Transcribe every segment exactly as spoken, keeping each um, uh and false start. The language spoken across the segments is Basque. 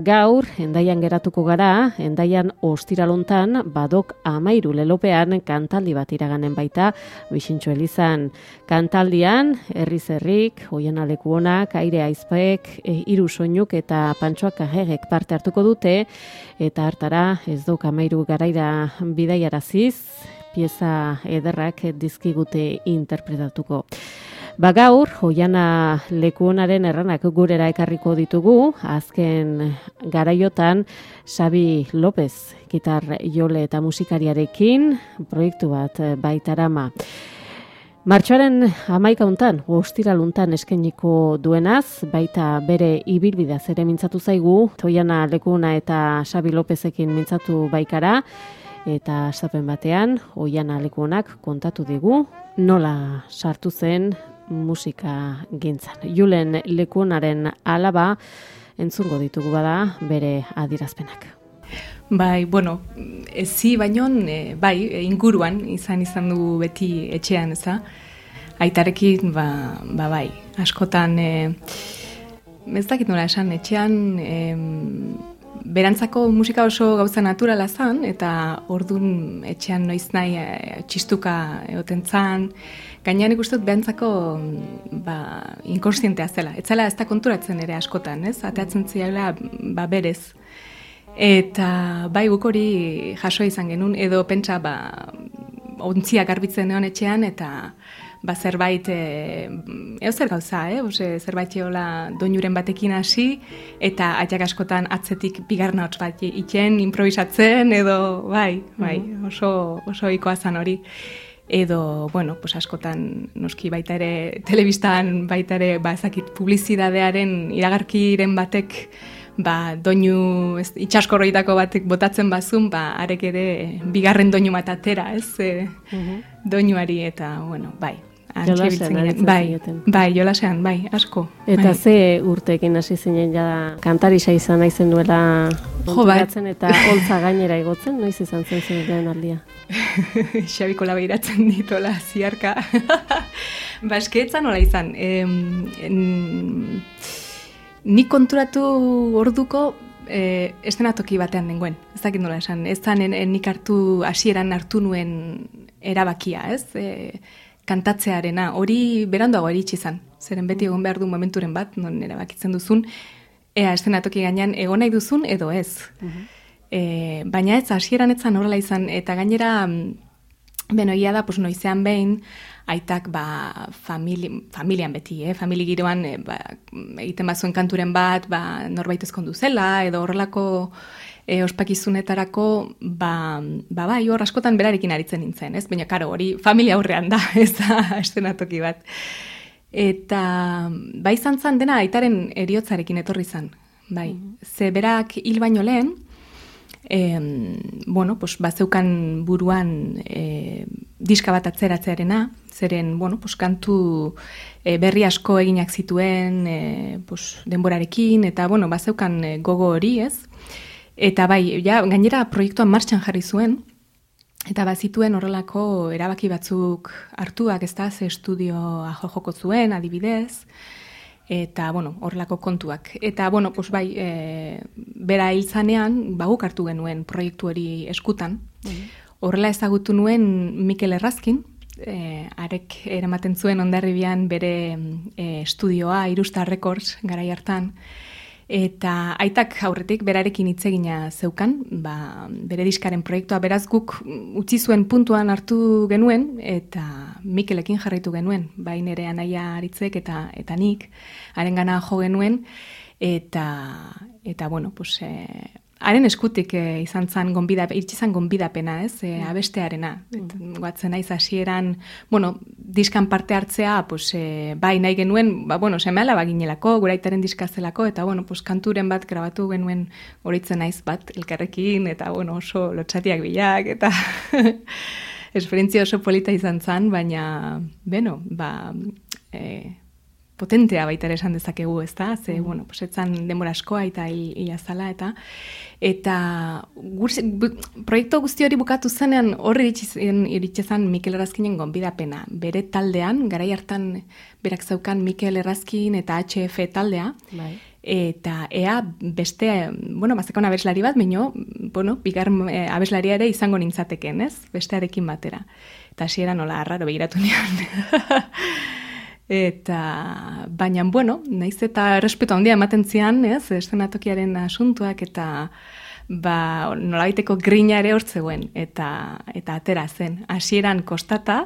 gaur, Hendaian geratuko gara, Hendaian ostiralontan, badok amairu lelopean kantaldi bat iraganen baita, Bixintxo Elizan. Kantaldian, herriz herrik, Oiana Lekuonak, Aire Aizpek, e, Hiru Soinuk eta Pantxoak Agerrek parte hartuko dute, eta hartara ez dok amairu garaira bidaiaraziz, pieza ederrak dizkigute interpretatuko. Ba gaur, Oiana Lekuonaren erranak gurera ekarriko ditugu, azken garaiotan Xabi López, gitar jole eta musikariarekin, proiektu bat baitarama. Martxoaren hamaika hontan, ostiraluntan eskainiko duenaz, baita bere ibilbideaz ere mintzatu zaigu, Oiana Lekuona eta Xabi Lópezekin mintzatu baikara, eta astapen batean, Oiana Lekuonak kontatu digu, nola sartu zen musika gintzan. Julen Lekuonaren alaba entzungo ditugu bada bere adirazpenak. Bai, bueno, ezi baino, e, bai, inguruan izan izan du beti etxean, eza? Aitarekin, ba, ba bai, askotan, e, ez dakit nola esan, etxean, e, berantzako musika oso gauza naturala zan, eta ordun etxean noiz nahi e, txistuka egoten zan, gainean ikustut berantzako ba, inkonstientea zela. Ez zela ez da konturatzen ere askotan, ez? Ateatzen ziala ba, berez. Eta bai guk hori jaso izan genuen, edo pentsa ba, ontziak garbitzen egon etxean, eta ba, zerbait, e, eo zer gauza, eh? Ose, zerbait eola doinuren batekin hasi, eta atxak askotan atzetik bigarna hotz bat iken, improvisatzen, edo bai, bai, oso, oso ikoa zan hori. Edo, bueno, pues askotan noski baita ere, telebistan baita ere, ba, ezakit, publizidadearen iragarkiren batek, ba, doinu, ez, itxaskorroitako batek botatzen bazun, ba, arek ere bigarren doinu bat atera, ez, e, uh-huh. doinuari, eta, bueno, bai. Jolasean, bai, bai, jolasean, bai, asko. Eta bai. Ze urteekin hasi zinen ja kantarisa izan naizen duela konturatzen eta holtza gainera igotzen, noiz izan zen zen aldia? Xabiko labeiratzen ditola ziarka. Ba, eskeetzan nola izan. Em, en, nik konturatu orduko eh, estenatoki batean dengoen. Ez dakit nola esan. Ez zan en, en, nik hartu, hasieran hartu nuen erabakia, ez? E, kantatzearena, hori beranduago eritsi izan. Zeren beti egon behar du momenturen bat, non erabakitzen duzun, ea estenatoki gainean egon nahi duzun edo ez. Uh-huh. E, baina ez, hasieran etzan horrela izan, eta gainera, beno, ia da, pues, noizean behin, aitak ba, famili, familian beti, eh? Famili giroan e, ba, egiten bazuen kanturen bat, ba, norbait ezkondu zela, edo horrelako e, ospakizunetarako, ba, ba, bai, hor askotan berarekin aritzen nintzen, ez? Baina, karo, hori familia aurrean da, ez da, estenatoki bat. Eta, bai izan zan dena aitaren eriotzarekin etorri zan, bai. Mm-hmm. Ze berak hil baino lehen, E, bueno, pues, bazeukan buruan e, diska bat atzeratzearena, zeren, bueno, pues, kantu e, berri asko eginak zituen e, pues, denborarekin, eta, bueno, bazeukan e, gogo hori, ez? Eta bai, ja, gainera proiektuan martxan jarri zuen, eta bazituen horrelako erabaki batzuk hartuak, ez da, ze estudioa joko zuen, adibidez, eta, bueno, horrelako kontuak. Eta, bueno, pues bai, e, bera hiltzanean, baguk hartu genuen proiektu hori eskutan. Mm-hmm. Horrela ezagutu nuen Mikel Errazkin, e, arek eramaten zuen Hondarribian bere e, estudioa, Irustar Records, garai hartan. Eta aitak aurretik berarekin hitzegina zeukan, ba, bere diskaren proiektua beraz guk utzi zuen puntuan hartu genuen, eta Mikelekin jarraitu genuen, bain ere anaia aritzek eta eta nik, harengana jo genuen, eta, eta bueno, pues, e, haren eskutik e, izan zan gonbidapena, iritsi zan gonbidapena, ez, e, abestearena. Mm. Guatzen naiz hasieran, bueno, diskan parte hartzea, pues, e, bai nahi genuen, ba, bueno, seme alaba ginelako, gure aitaren diska zelako, eta, bueno, pues, kanturen bat grabatu genuen horitzen naiz bat elkarrekin, eta, bueno, oso lotxatiak bilak, eta esperientzia oso polita izan zan, baina, beno, ba, e, potentea baita ere esan dezakegu, ez da? Ze, mm. bueno, pues, etzan denbora askoa eta hila zala, eta eta gursi, bu, proiektu guzti hori bukatu zenean horri iritsi zen Mikel Errazkinen gonbidapena. Bere taldean, garai hartan berak zeukan Mikel Errazkin eta H F taldea, bai. eta ea beste, bueno, bazekon abeslari bat, baino, bueno, bigar e, abeslaria ere izango nintzateken, ez? Bestearekin batera. Eta hasiera nola arraro begiratu nion. Eta, baina, bueno, naiz eta errespetu handia ematen zian, ez? Eszenatokiaren asuntuak eta ba, nolabaiteko grina ere hortzegoen, eta, eta atera zen. Hasieran kostata,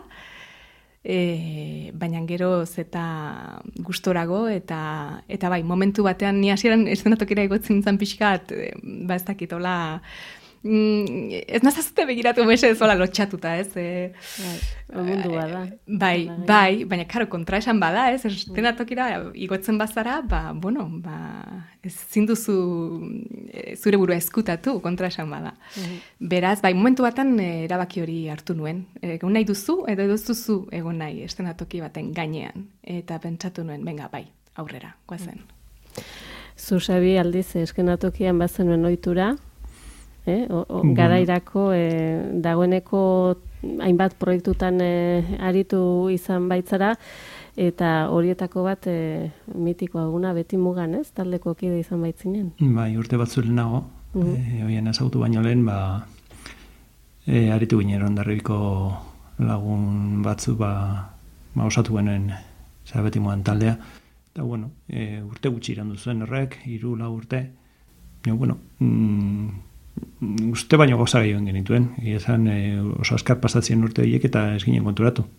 E, baina geroz eta gustorago eta eta bai, momentu batean ni hasieran eszenatokira igotzen nintzen pixkat, ba ez dakit, hola, mm, ez nazazute begiratu mese zola lotxatuta, ez? E, bai, mundu bada. Bai, bai, baina karo, kontra esan bada, ez? Eszenatokira igotzen bazara, ba, bueno, ba, ez zinduzu zure burua eskutatu, kontra esan bada. Uh-huh. Beraz, bai, momentu batan erabaki hori hartu nuen. Egon nahi duzu, edo duzuzu egon nahi eszenatoki baten gainean. Eta pentsatu nuen, benga, bai, aurrera, guazen. Zu, Xabi, aldiz, eskenatokian bazenuen ohitura, eh? o, o, bueno. Garairako, eh, dagoeneko hainbat proiektutan eh, aritu izan baitzara, eta horietako bat e, mitikoa eguna beti mugan, ez? Taldeko kide izan baitzinen. Bai, urte bat zuen nago, uh-huh. e, oien ezautu baino lehen, ba, e, aritu ginen Hondarribiko lagun batzu, ba, ba osatu genuen zera beti mugan taldea. Eta, bueno, e, urte gutxi irandu zuen horrek, hiru lau urte. E, bueno, mm, uste baino goza gehioen genituen. Egia esan, e, oso askar pasatzen urte horiek eta ez ginen konturatu.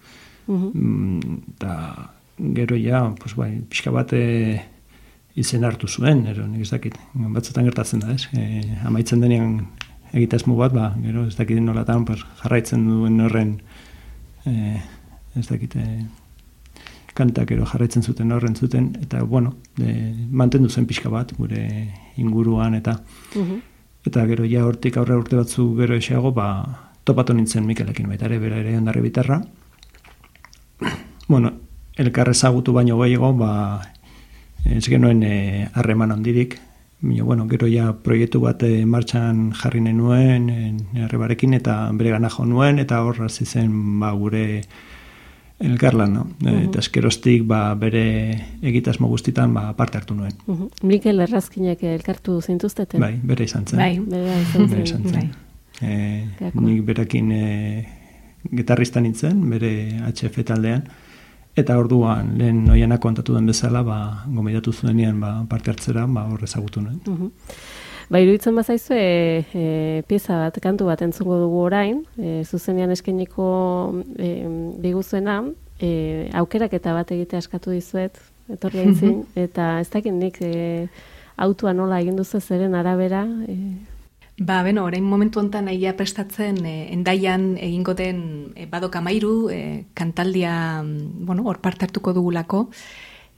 Uhum. Eta gero ja, pues bai, pixka bat e, izen hartu zuen, ero, nik ez dakit, batzutan gertatzen da, ez? E, amaitzen denean egitasmo bat, ba, gero ez dakit nolatan pues, jarraitzen duen horren, e, ez dakit, e, kantak ero jarraitzen zuten horren zuten, eta, bueno, e, mantendu zen pixka bat, gure inguruan, eta uhum. Eta gero ja hortik aurre urte batzu gero esago, ba, topatu nintzen Mikelekin, baita ere, bera ere Hondarribitarra. Bueno, elkar ezagutu baino gehiago, ba, ez genuen harreman e, handirik. Bueno, gero ja proiektu bat e, martxan jarri nenuen, Arrebarekin, eta bere gana jo nuen, eta hor hasi zen ba, gure elkarlan, no? Uh-huh. Eta eskerostik ba, bere egitasmo guztitan ba, parte hartu nuen. Uh-huh. Mikel Errazkinek elkartu zintuzteten? Bai, bere izan zen. Bai, bere izan zen. Bere izan zen. Bai. E, nik berekin e, gitarrista nintzen, bere H F taldean, eta orduan lehen noianak kontatu den bezala, ba, gomidatu zuenean ba, parte hartzera, ba, hor ezagutu nuen. Uh-huh. Ba, iruditzen bazaizu, e, e, pieza bat, kantu bat entzungo dugu orain, e, zuzenean eskainiko e, biguzuena, e, aukeraketa bat egitea askatu dizuet, etorri aintzin, eta ez dakit nik e, autua nola egin duzu zeren arabera, e, Ba, beno, orain momentu honetan egia prestatzen eh, endaian egingo den eh, badok amairu, eh, kantaldia, bueno, hor parte hartuko dugulako,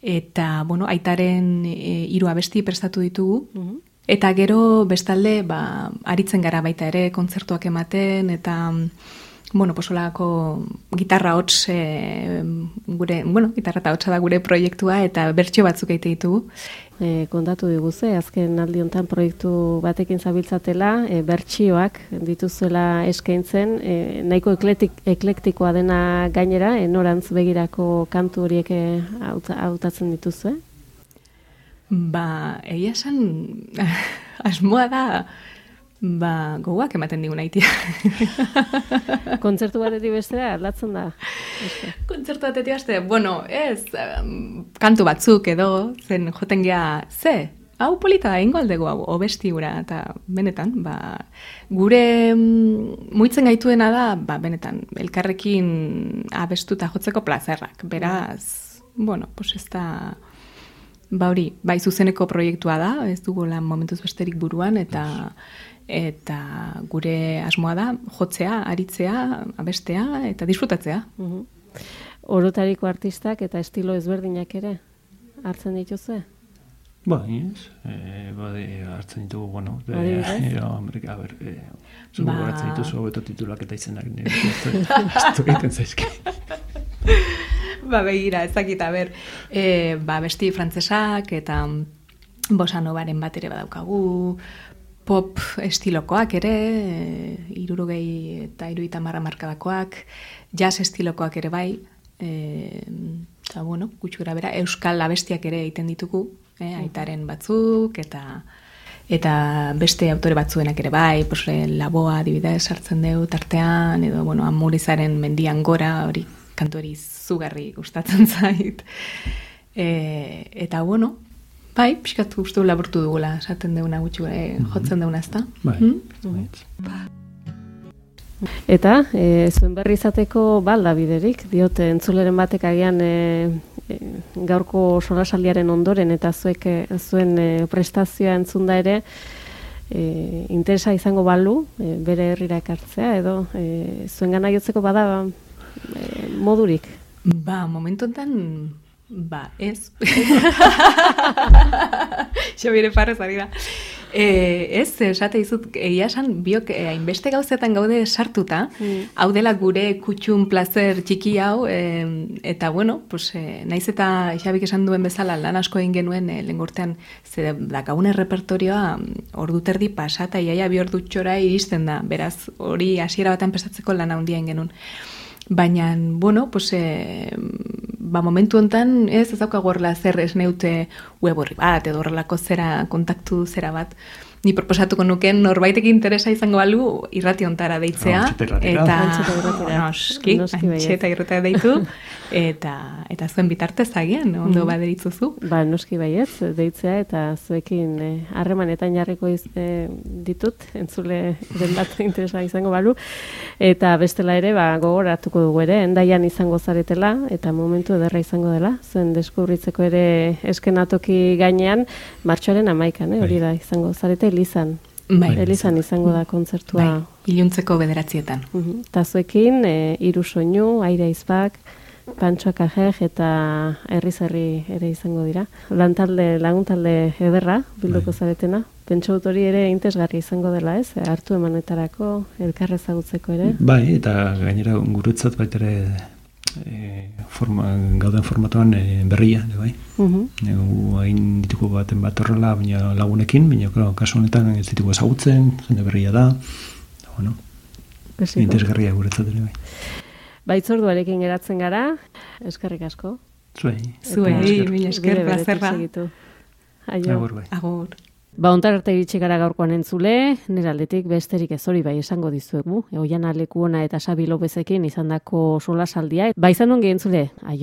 eta, bueno, aitaren eh, hiru abesti prestatu ditugu, uh-huh. Eta gero bestalde, ba, aritzen gara baita ere, kontzertuak ematen, eta, bueno, posolako gitarra hots, eh, gure, bueno, gitarra eta hotsa da gure proiektua, eta bertsio batzuk egite ditugu. E, kontatu diguze, azken aldi honetan proiektu batekin zabiltzatela, e, bertsioak dituzuela eskaintzen, e, nahiko eklektik, eklektikoa dena gainera, e, norantz begirako kantu horiek hautatzen dituzue? Ba, egia esan, asmoa da, ba, gogoak ematen digun aitia. Kontzertu batetik bestera, aldatzen da? Kontzertu batetik bestera, bueno, ez, um, kantu batzuk edo, zen joten gea, ze, hau polita da, ingo aldego hau, obesti gura, eta benetan, ba, gure mm, muitzen gaituena da, ba, benetan, elkarrekin abestuta jotzeko plazerrak, beraz, bueno, pues ez da... Ba hori, bai zuzeneko proiektua da, ez dugu lan momentuz besterik buruan, eta eta gure asmoa da jotzea, aritzea, abestea, eta disfrutatzea. Uh-huh. Orotariko artistak eta estilo ezberdinak ere hartzen dituzue? Bai, ez. E, bai, hartzen ditugu, bueno. E, e, Amerika, a ber, e, zugu ba... hartzen dituzu hobeto titulak eta izenak nire. Ez du egiten zaizki. Ba, begira, ezakit, a ber, e, ba, besti frantzesak eta bossa novaren bat ere badaukagu, pop estilokoak ere, e, irurogei eta iruita marra markadakoak, jazz estilokoak ere bai, e, eta, bueno, gutxura bera, euskal abestiak ere egiten ditugu, eh, aitaren batzuk, eta eta beste autore batzuenak ere bai, pues, Laboa adibidez sartzen deu tartean, edo, bueno, Amurizaren mendian gora, hori kantu hori zugarri gustatzen zait. E, eta, bueno, bai, pixkat guztu laburtu dugula, esaten deuna gutxi, e, jotzen deuna, ezta? Bai, hmm? Eta, e, zuen berri izateko balda biderik, diote entzuleren batek agian e, e, gaurko solasaldiaren ondoren eta zuek e, zuen e, prestazioa entzunda ere e, interesa izango balu, e, bere herrira ekartzea, edo e, zuen gana jotzeko bada e, modurik? Ba, momentu enten, ba, ez. Xabire parrez ari da. E, ez, esate izut, egia esan, biok hainbeste gauzetan gaude sartuta, mm. hau dela gure kutxun plazer txiki hau, e, eta bueno, pues, e, naiz eta Xabik esan duen bezala lan asko egin genuen e, lengortean, ze dakagune repertorioa ordu terdi pasata, iaia bi ordu txora iristen da, beraz, hori hasiera batean pesatzeko lan handia egin genuen. Baina, bueno, pues, e, ba, momentu hontan ez ez daukagu horrela zer ez neute web horri bat, edo horrelako zera, kontaktu zera bat. Ni proposatuko nuken norbaitek interesa izango balu irrati ontara deitzea. Eta, noski, antxeta irratia deitu, eta, eta zuen bitartez agian, ondo mm. baderitzuzu. Ba, noski baietz, deitzea, eta zuekin harremanetan eh, jarriko iz, eh, ditut, entzule den bat interesa izango balu, eta bestela ere, ba, gogoratuko dugu ere, endaian izango zaretela, eta momentu ederra izango dela, zuen deskubritzeko ere eskenatoki gainean, martxoaren amaikan, eh, hori da, izango zarete, Elizan. Bai. Elizan izango da kontzertua. Bai, iluntzeko bederatzietan. Uh-huh. Tazuekin, e, Hiru Soinu, Aire Izbak, Pantxoak Ajej eta Herriz Herri ere izango dira. Lantalde, laguntalde ederra, bilduko bai. Zaretena. Pentsa dut hori ere interesgarri izango dela, ez? Hartu emanetarako, elkarrezagutzeko ere. Bai, eta gainera guretzat baita ere E, forma, gauden formatuan e, berria, de, bai. Uh-huh. Hain dituko baten bat horrela, baina lagunekin, baina claro, kasu honetan ez dituko ezagutzen, jende berria da, da bueno, interesgarria guretzat ere, bai. Baitzorduarekin geratzen gara, eskerrik asko. Zuei. Zuei, mila esker, plazerra. Aio. Agur, bai. Agur. Ba, ontar arte iritsi gara gaurkoan entzule, nire aldetik besterik ez hori bai esango dizuegu. Oiana Lekuona eta Xabi Lopezekin izandako solasaldia. Ba, izan ongi entzule, aio.